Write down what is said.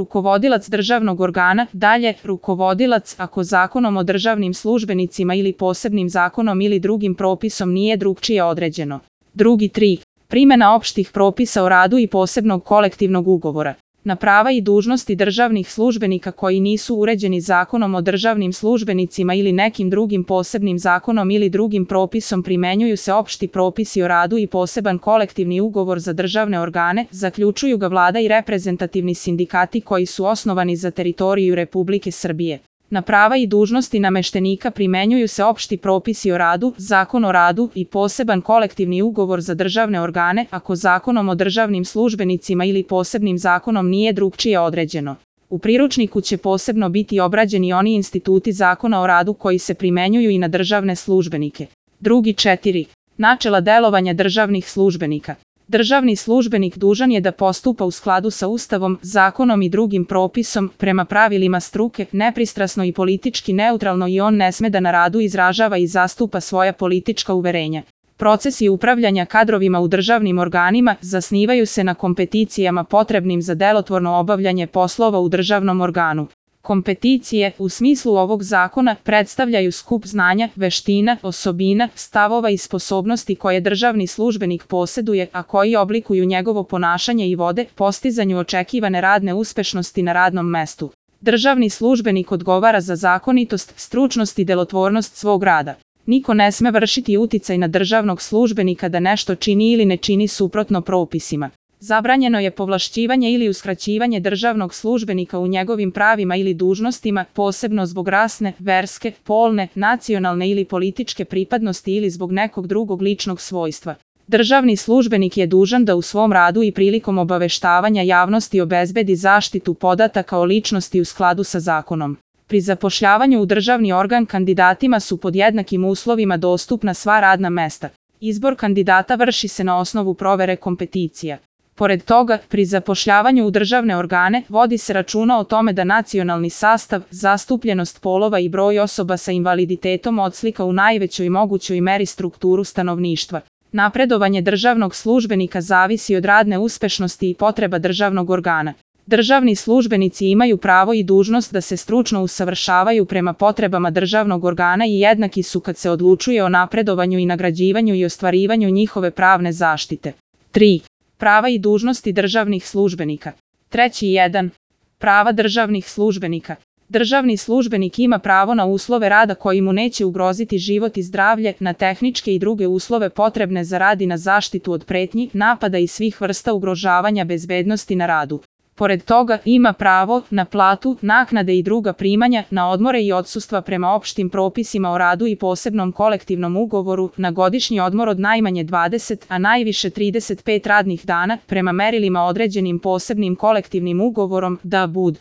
Rukovodilac državnog organa, dalje, rukovodilac ako zakonom o državnim službenicima ili posebnim zakonom ili drugim propisom nije drugčije određeno. Drugi 3. Primjena opštih propisa o radu i posebnog kolektivnog ugovora. Na prava i dužnosti državnih službenika koji nisu uređeni zakonom o državnim službenicima ili nekim drugim posebnim zakonom ili drugim propisom primenjuju se opšti propisi o radu i poseban kolektivni ugovor za državne organe, zaključuju ga vlada i reprezentativni sindikati koji su osnovani za teritoriju Republike Srbije. Na prava i dužnosti nameštenika primenjuju se opšti propisi o radu, zakon o radu i poseban kolektivni ugovor za državne organe ako zakonom o državnim službenicima ili posebnim zakonom nije drugčije određeno. U priručniku će posebno biti obrađeni oni instituti zakona o radu koji se primenjuju i na državne službenike. Drugi 4. Načela delovanja državnih službenika. Državni službenik dužan je da postupa u skladu sa Ustavom, zakonom i drugim propisom, prema pravilima struke, nepristrasno i politički neutralno i on ne sme da na radu izražava i zastupa svoja politička uverenja. Procesi upravljanja kadrovima u državnim organima zasnivaju se na kompeticijama potrebnim za delotvorno obavljanje poslova u državnom organu. Kompeticije, u smislu ovog zakona, predstavljaju skup znanja, veština, osobina, stavova i sposobnosti koje državni službenik poseduje, a koji oblikuju njegovo ponašanje i vode postizanju očekivane radne uspešnosti na radnom mestu. Državni službenik odgovara za zakonitost, stručnost i delotvornost svog rada. Niko ne sme vršiti uticaj na državnog službenika da nešto čini ili ne čini suprotno propisima. Zabranjeno je povlašćivanje ili uskraćivanje državnog službenika u njegovim pravima ili dužnostima, posebno zbog rasne, verske, polne, nacionalne ili političke pripadnosti ili zbog nekog drugog ličnog svojstva. Državni službenik je dužan da u svom radu i prilikom obaveštavanja javnosti obezbedi zaštitu podataka o ličnosti u skladu sa zakonom. Pri zapošljavanju u državni organ kandidatima su pod jednakim uslovima dostupna sva radna mesta. Izbor kandidata vrši se na osnovu provere kompeticija. Pored toga, pri zapošljavanju u državne organe vodi se računa o tome da nacionalni sastav, zastupljenost polova i broj osoba sa invaliditetom odslika u najvećoj mogućoj meri strukturu stanovništva. Napredovanje državnog službenika zavisi od radne uspešnosti i potreba državnog organa. Državni službenici imaju pravo i dužnost da se stručno usavršavaju prema potrebama državnog organa i jednaki su kad se odlučuje o napredovanju i nagrađivanju i ostvarivanju njihove pravne zaštite. 3. Prava i dužnosti državnih službenika. Treći 1. Prava državnih službenika. Državni službenik ima pravo na uslove rada koji mu neće ugroziti život i zdravlje, na tehničke i druge uslove potrebne za rad i na zaštitu od pretnji, napada i svih vrsta ugrožavanja bezbednosti na radu. Pored toga, ima pravo na platu, naknade i druga primanja, na odmore i odsustva prema opštim propisima o radu i posebnom kolektivnom ugovoru, na godišnji odmor od najmanje 20, a najviše 35 radnih dana, prema merilima određenim posebnim kolektivnim ugovorom, da bud.